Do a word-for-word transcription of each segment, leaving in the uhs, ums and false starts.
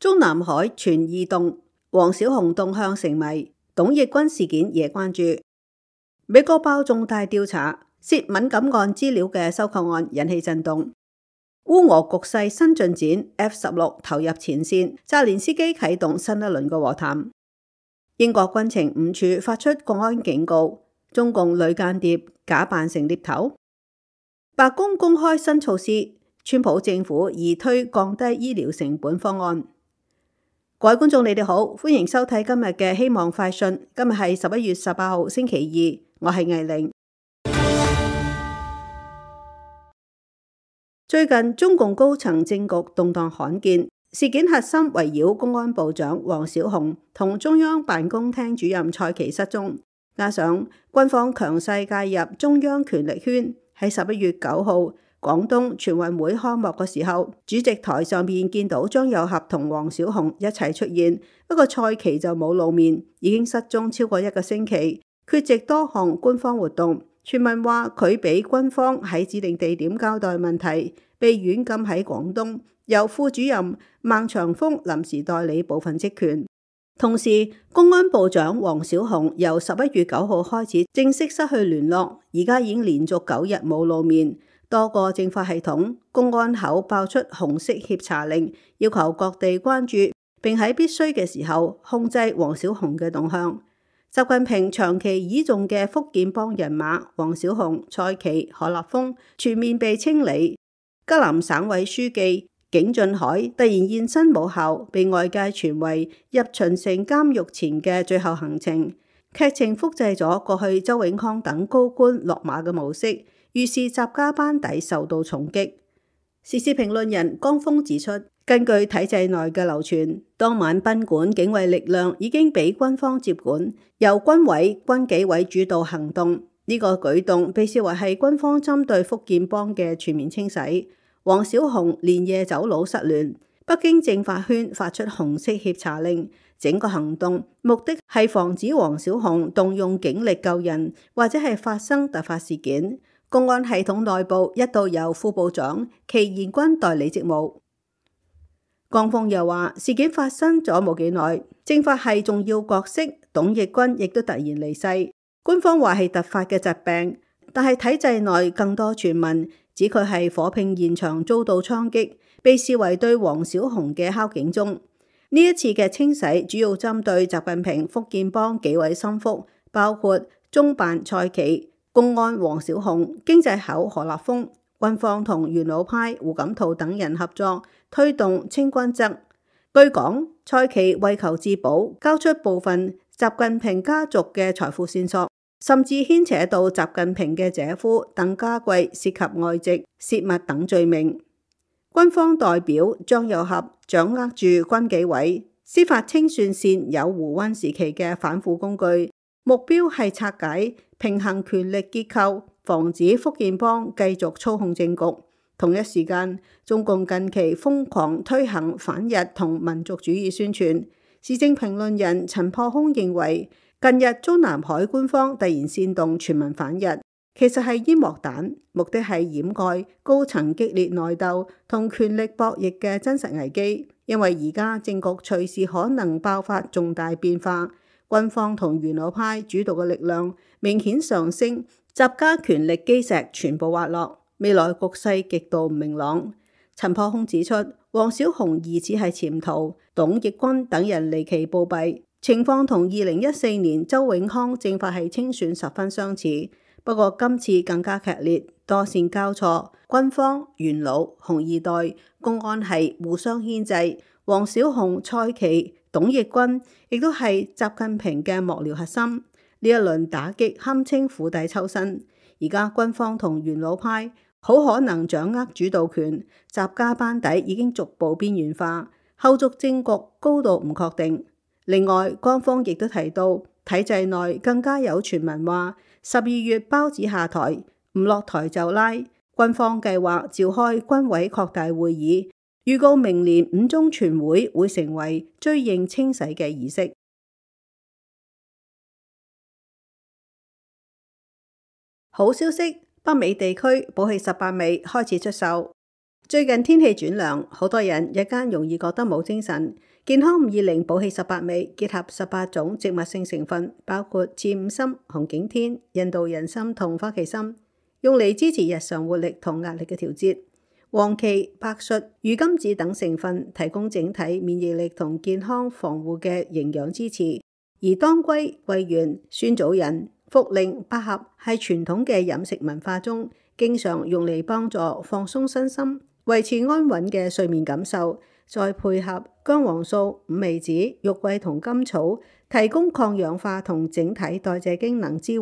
中南海全異動，黃小紅動向成謎，董奕君事件惹關注。美國爆重大調查，涉敏感案資料嘅收購案引起震動。烏俄局勢新進展 ，F 十六投入前線，澤連斯基啟動新一輪嘅和談。英國軍情五處發出國安警告，中共女間諜假扮成獵頭。白宮公開新措施，川普政府擬推降低醫療成本方案。各位觀眾，你哋好，歡迎收睇今日嘅希望快訊。今日係十一月十八號星期二，我係魏玲。最近中共高層政局動盪罕見，事件核心圍繞公安部長王小洪同中央辦公廳主任蔡奇失蹤，加上軍方強勢介入中央權力圈。喺十一月九號廣東全運會開幕嘅時候，主席台上面見到張又俠同王小洪一齊出現，不過蔡奇就冇露面，已經失蹤超過一個星期，缺席多項官方活動。傳聞話佢俾軍方喺指定地點交代問題，被軟禁喺廣東，由副主任孟長峰臨時代理部分職權。同時，公安部長王小洪由十一月九號開始正式失去聯絡，而家已經連續九日冇露面。多個政法系統、公安口爆出紅色協查令，要求各地關注，並喺必須嘅時候控制王小洪嘅動向。習近平長期倚重嘅福建幫人馬王小洪、蔡奇、何立峰全面被清理。吉林省委書記景俊海突然現身母校，被外界傳為入秦城監獄前嘅最後行程。劇情複製咗過去周永康等高官落馬嘅模式，於是習家班底受到重擊。時事評論人江峰指出，根據體制內嘅流傳，當晚賓館警衛力量已經俾軍方接管，由軍委、軍紀委主導行動。呢、這個舉動被視為係軍方針對福建幫嘅全面清洗。王小洪連夜走佬失聯，北京政法圈發出紅色協查令，整個行動目的係防止王小洪動用警力救人，或者係發生突發事件。公安系統內部一度由副部長祁延軍代理職務。江峰又話，事件發生咗冇幾耐，政法系重要角色董奕君亦都突然離世。官方話係突發嘅疾病，但係體制內更多傳聞指佢係火拼現場遭到槍擊，被視為對王小洪嘅敲警鐘。呢一次嘅清洗主要針對習近平福建幫幾位心腹，包括中辦蔡奇、公安王小洪、經濟口何立峰，軍方同元老派胡錦濤等人合作推動清軍側。據講，蔡奇為求自保，交出部分習近平家族嘅財富線索，甚至牽扯到習近平嘅姐夫鄧家貴涉及外籍洩密等罪名。軍方代表張又俠掌握住軍紀委司法清算線有胡溫時期嘅反腐工具，目標係拆解平衡權力結構，防止福建幫繼續操控政局。同一時間，中共近期瘋狂推行反日同民族主義宣傳。時政評論人陳破空認為，近日中南海官方突然煽動全民反日，其實係煙幕彈，目的係掩蓋高層激烈內鬥同權力博弈嘅真實危機。因為而家政局隨時可能爆發重大變化，軍方同元老派主導嘅力量明顯上升，習家權力基石全部滑落，未來局勢極度唔明朗。陳破空指出，王小洪疑似係潛逃，董奕君等人離奇暴斃，情況同二零一四年周永康政法系清算十分相似，不過今次更加劇烈，多線交錯，軍方、元老、紅二代、公安系互相牽制，王小洪、蔡奇、董奕君亦都係習近平嘅幕僚核心。呢一輪打擊堪稱釜底抽薪，而家軍方同元老派好可能掌握主導權，習家班底已經逐步邊緣化，後續政局高度唔確定。另外，官方亦都提到，體制內更加有傳聞話，十二月包子下台，唔落台就拉。軍方計劃召開軍委擴大會議，預告明年五中全會會成為追認清洗嘅儀式。好消息，北美地區寶氣十八味開始出售。最近天氣轉涼，好多人日間容易覺得冇精神。健康五二零補氣十八味，結合十八種植物性成分，包括刺五參、紅景天、印度人參同花旗參，用嚟支持日常活力同壓力嘅調節。黃芪、柏術、魚甘子等成分提供整體免疫力同健康防護嘅營養支持。而當歸、桂圓、酸棗仁、茯苓、百合係傳統嘅飲食文化中，經常用嚟幫助放鬆身心、維持安穩嘅睡眠感受。再配合薑黃素、五味子、肉桂同甘草，提供抗氧化同整體代謝機能支援。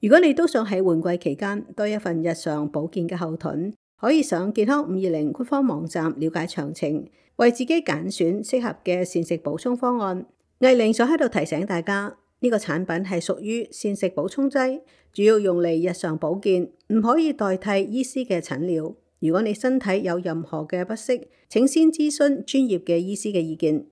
如果你都想喺換季期間多一份日常保健嘅後盾，可以上健康五二零官方網站了解詳情，為自己揀選適合嘅膳食補充方案。藝玲想喺度提醒大家，呢個產品係屬於膳食補充劑，主要用嚟日常保健，唔可以代替醫師嘅診療。如果你身體有任何嘅不適，請先諮詢專業嘅醫師嘅意見。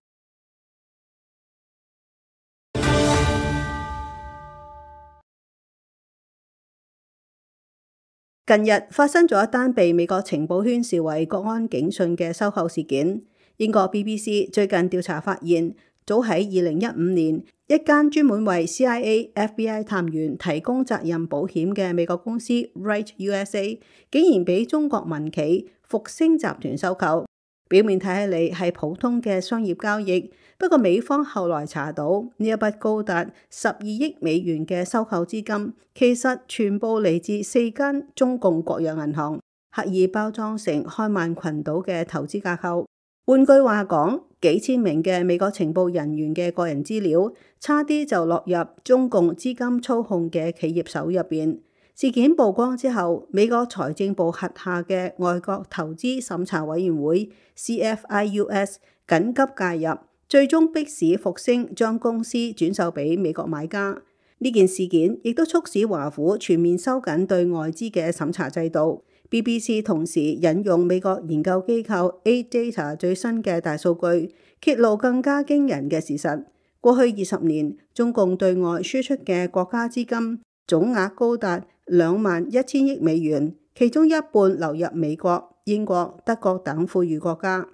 近日發生咗一單被美國情報圈視為國安警訊嘅收購事件。英國 B B C 最近調查發現，早喺二零一五年，一間專門為 C I A、F B I 探員提供責任保險嘅美國公司 Wright U S A， 竟然俾中國民企復星集團收購。表面睇起嚟係普通嘅商業交易，不過美方後來查到呢一筆高達十二億美元嘅收購資金，其實全部嚟自四間中共國有銀行，刻意包裝成開曼群島嘅投資架構。換句話講，幾千名嘅美國情報人員嘅個人資料，差啲就落入中共資金操控嘅企業手入邊。事件曝光之後，美國財政部轄下嘅外國投資審查委員會 C F I U S 緊急介入，最終迫使復星將公司轉售俾美國買家。呢件事件亦都促使華府全面收緊對外資嘅審查制度。B B C 同時引用美國研究機構 A Data 最新嘅大數據，揭露更加驚人嘅事實。過去二十年，中共對外輸出嘅國家資金總額高達兩萬一千億美元，其中一半流入美國、英國、德國等富裕國家。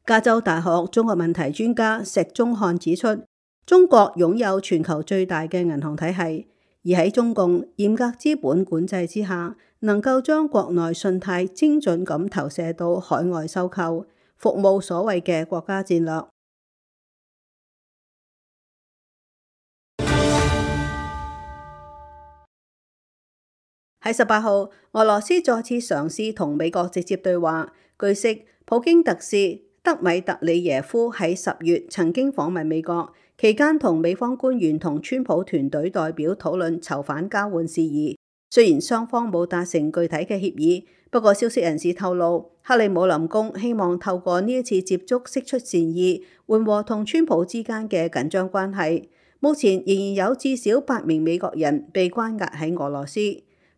加州大學中國問題專家石宗漢指出，中國擁有全球最大嘅銀行體系，而喺中共嚴格資本管制之下，能夠將國內信貸精準咁投射到海外收購，服務所謂嘅國家戰略。喺十八號，俄羅斯再次嘗試同美國直接對話。據悉，普京特使德米特里耶夫喺十月曾經訪問美國，期間同美方官員同川普團隊代表討論囚犯交換事宜。雖然雙方冇達成具體嘅協議，不過消息人士透露，克里姆林宮希望透過呢一次接觸釋出善意，緩和同川普之間嘅緊張關係。目前仍然有至少八名美國人被關押喺俄羅斯。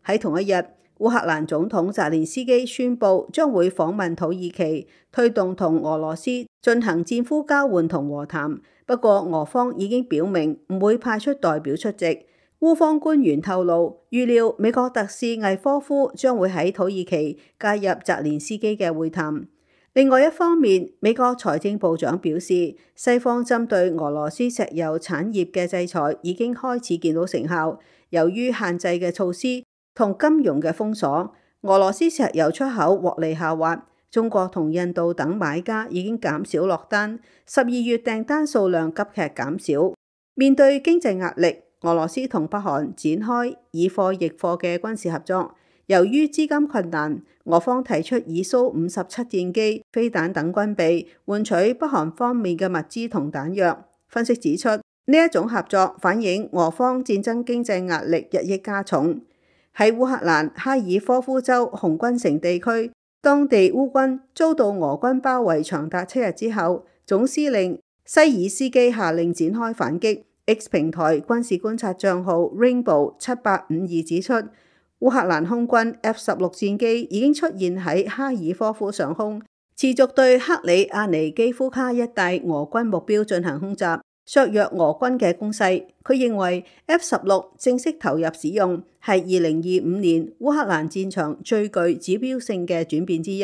喺同一日，烏克蘭總統澤連斯基宣布將會訪問土耳其，推動同俄羅斯進行戰俘交換同和談。不過俄方已經表明唔會派出代表出席。烏方官員透露，預料美國特使魏科夫將會喺土耳其介入澤連斯基嘅會談。另外一方面，美國財政部長表示，西方針對俄羅斯石油產業嘅制裁已經開始見到成效。由於限制嘅措施同金融嘅封鎖，俄羅斯石油出口獲利下滑。中國同印度等買家已經減少落單，十二月訂單數量急劇減少。面對經濟壓力，俄羅斯同北韓展開以貨易貨嘅軍事合作。由於資金困難，俄方提出以蘇五十七戰機、飛彈等軍備，換取北韓方面嘅物資同彈藥。分析指出，呢一種合作反映俄方戰爭經濟壓力日益加重。喺烏克蘭哈爾科夫州紅軍城地區，當地烏軍遭到俄軍包圍長達七日之後，總司令西爾斯基下令展開反擊。X 平台軍事觀察帳號 Rainbow 七八五二指出，烏克蘭空軍 F 十六戰機已經出現喺哈爾科夫上空，持續對克里亞尼基夫卡一帶俄軍目標進行空襲，削弱俄軍嘅攻勢。佢認為 F 十六正式投入使用係二零二五年烏克蘭戰場最具指標性嘅轉變之一。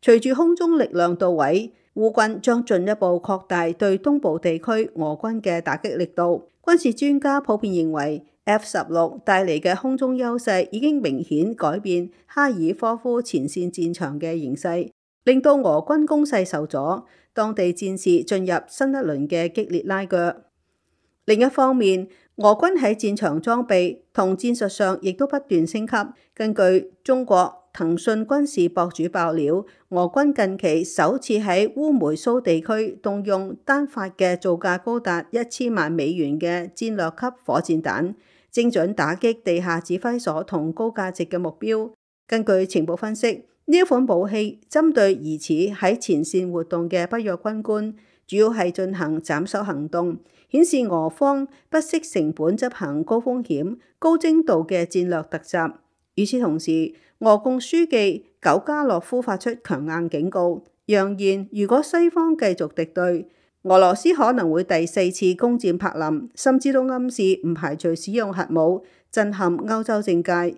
隨住空中力量到位，烏軍將進一步擴大對東部地區俄軍嘅打擊力度。軍事專家普遍認為 F 十六帶嚟嘅空中優勢已經明顯改變哈爾科夫前線戰場嘅形勢，令到俄軍攻勢受阻，當地戰事進入新一輪嘅激烈拉鋸。另一方面，俄軍喺戰場裝備同戰術上亦都不斷升級。根據中國騰訊軍事博主爆料，俄軍近期首次喺烏梅蘇地區動用單發嘅造價高達一千萬美元嘅戰略級火箭彈，精準打擊地下指揮所同高價值嘅目標。根據情報分析，呢一款武器針對疑似喺前線活動嘅北約軍官，主要係進行斬首行動，顯示俄方不惜成本執行高風險、高精度嘅戰略突襲。與此同時，俄共書記久加洛夫發出強硬警告，揚言如果西方繼續敵對，俄羅斯可能會第四次攻佔柏林，甚至都暗示唔排除使用核武震撼歐洲政界。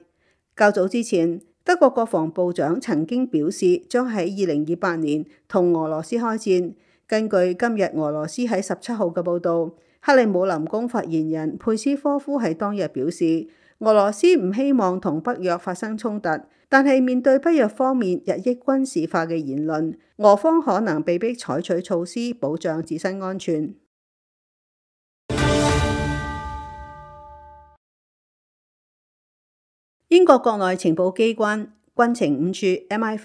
較早之前，德國國防部長曾經表示將喺二零二八年同俄羅斯開戰。根據今日俄羅斯喺十七號嘅報導，克里姆林宮發言人佩斯科夫喺當日表示，俄羅斯唔希望同北約發生衝突，但係面對北約方面日益軍事化嘅言論，俄方可能被迫採取措施保障自身安全。英國國內情報機關軍情五處 M I 五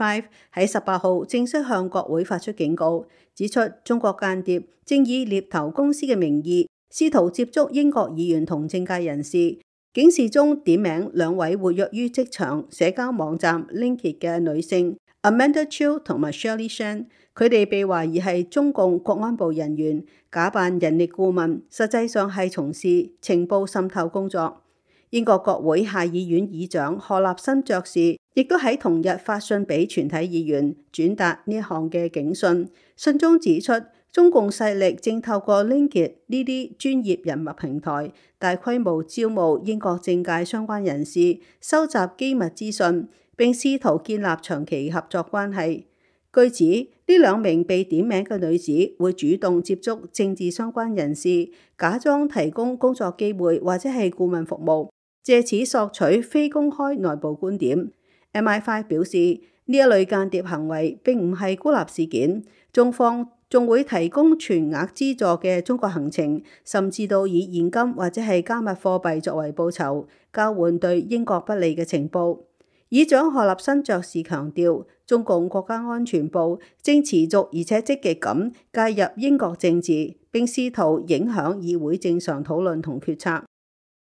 喺十八號正式向國會發出警告，指出中國間諜正以獵頭公司嘅名義試圖接觸英國議員同政界人士。警示中點名兩位活躍於職場社交網站 LinkedIn 嘅女性 Amanda Chiu 同埋 Shirley Shan， 佢哋被懷疑係中共國安部人員，假扮人力顧問，實際上係從事情報滲透工作。英國國會下議院議長賀立新爵士亦都喺同日發信俾全體議員轉達呢項嘅警訊，信中指出，中共勢力正透過 LinkedIn 呢啲專業人脈平台，大規模招募英國政界相關人士，收集機密資訊，並試圖建立長期合作關係。據指，呢兩名被點名嘅女子會主動接觸政治相關人士，假裝提供工作機會或者係顧問服務，借此索取非公開內部觀點。M I 五 表示，呢一類間諜行為並唔係孤立事件，中方仲會提供全額資助嘅中國行程，甚至到以現金或者係加密貨幣作為報酬，交換對英國不利嘅情報。議長賀立新爵士強調，中共國家安全部正持續而且積極咁介入英國政治，並試圖影響議會正常討論同決策。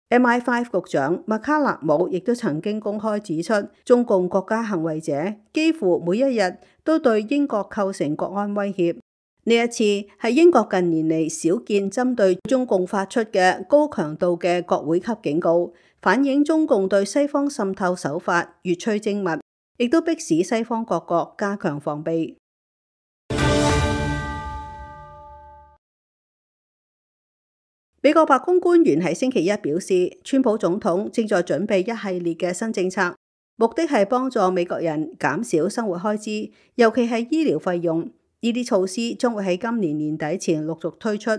M I 五 局長麥卡納姆亦都曾經公開指出，中共國家行為者幾乎每一日都對英國構成國安威脅。呢一次係英國近年嚟少見針對中共發出嘅高強度嘅國會級警告，反映中共對西方滲透手法越趨精密，亦都迫使西方各國加強防備。美國白宮官員喺星期一表示，川普總統正在準備一系列嘅新政策，目的係幫助美國人減少生活開支，尤其係醫療費用。呢啲措施將會喺今年年底前陸續推出。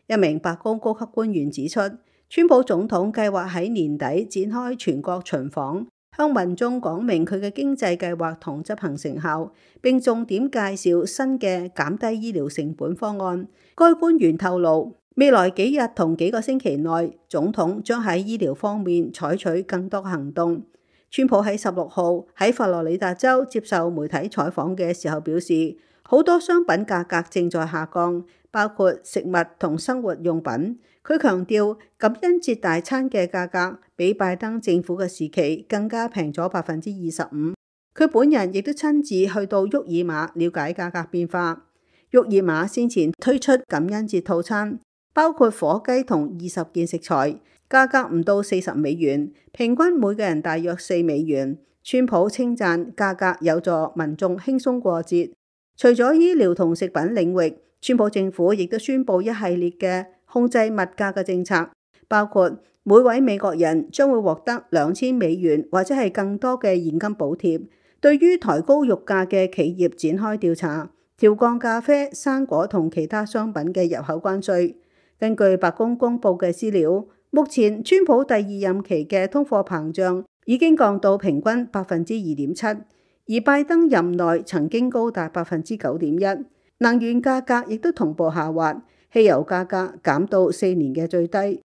一名白宮高級官員指出，川普總統計劃喺年底展開全國巡訪，向民眾講明佢嘅經濟計劃同執行成效，並重點介紹新嘅減低醫療成本方案。該官員透露，未來幾日同幾個星期內，總統將喺醫療方面採取更多行動。川普喺十六號喺佛羅里達州接受媒體採訪嘅時候表示，好多商品價格正在下降，包括食物同生活用品。佢強調，感恩節大餐嘅價格比拜登政府嘅時期更加平咗百分之二十五。佢本人亦都親自去到沃爾瑪了解價格變化。沃爾瑪先前推出感恩節套餐，包括火雞同二十件食材，價格唔到四十美元，平均每個人大約四美元。川普稱讚價格有助民眾輕鬆過節。除咗醫療同食品領域，川普政府亦都宣布一系列嘅控制物價嘅政策，包括每位美國人將會獲得兩千美元或者係更多嘅現金補貼，對於抬高肉價嘅企業展開調查，調降咖啡、生果同其他商品嘅入口關稅。根據白宮公佈嘅資料，目前川普第二任期嘅通貨膨脹已經降到平均百分之二點七，而拜登任內曾經高達百分之九點一。能源價格亦都同步下滑，汽油價格減到四年嘅最低。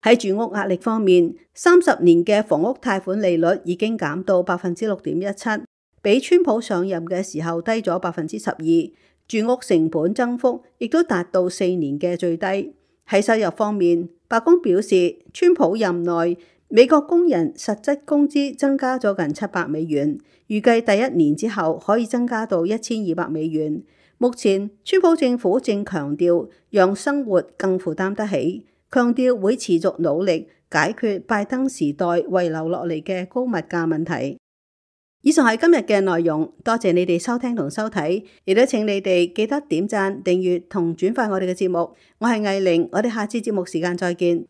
喺住屋壓力方面，三十年嘅房屋貸款利率已經減到百分之六點一七，比川普上任嘅時候低咗百分之十二。住屋成本增幅亦都達到四年嘅最低。喺收入方面，白宮表示，川普任內美國工人實質工資增加咗近七百美元，預計第一年之後可以增加到一千二百美元。目前，川普政府正強調讓生活更負擔得起，強調會持續努力解決拜登時代遺留落嚟嘅高物價問題。以上係今日嘅內容，多謝你哋收聽同收睇，亦都請你哋記得點讚、訂閱同轉發我哋嘅節目。我係藝玲，我哋下次節目時間再見。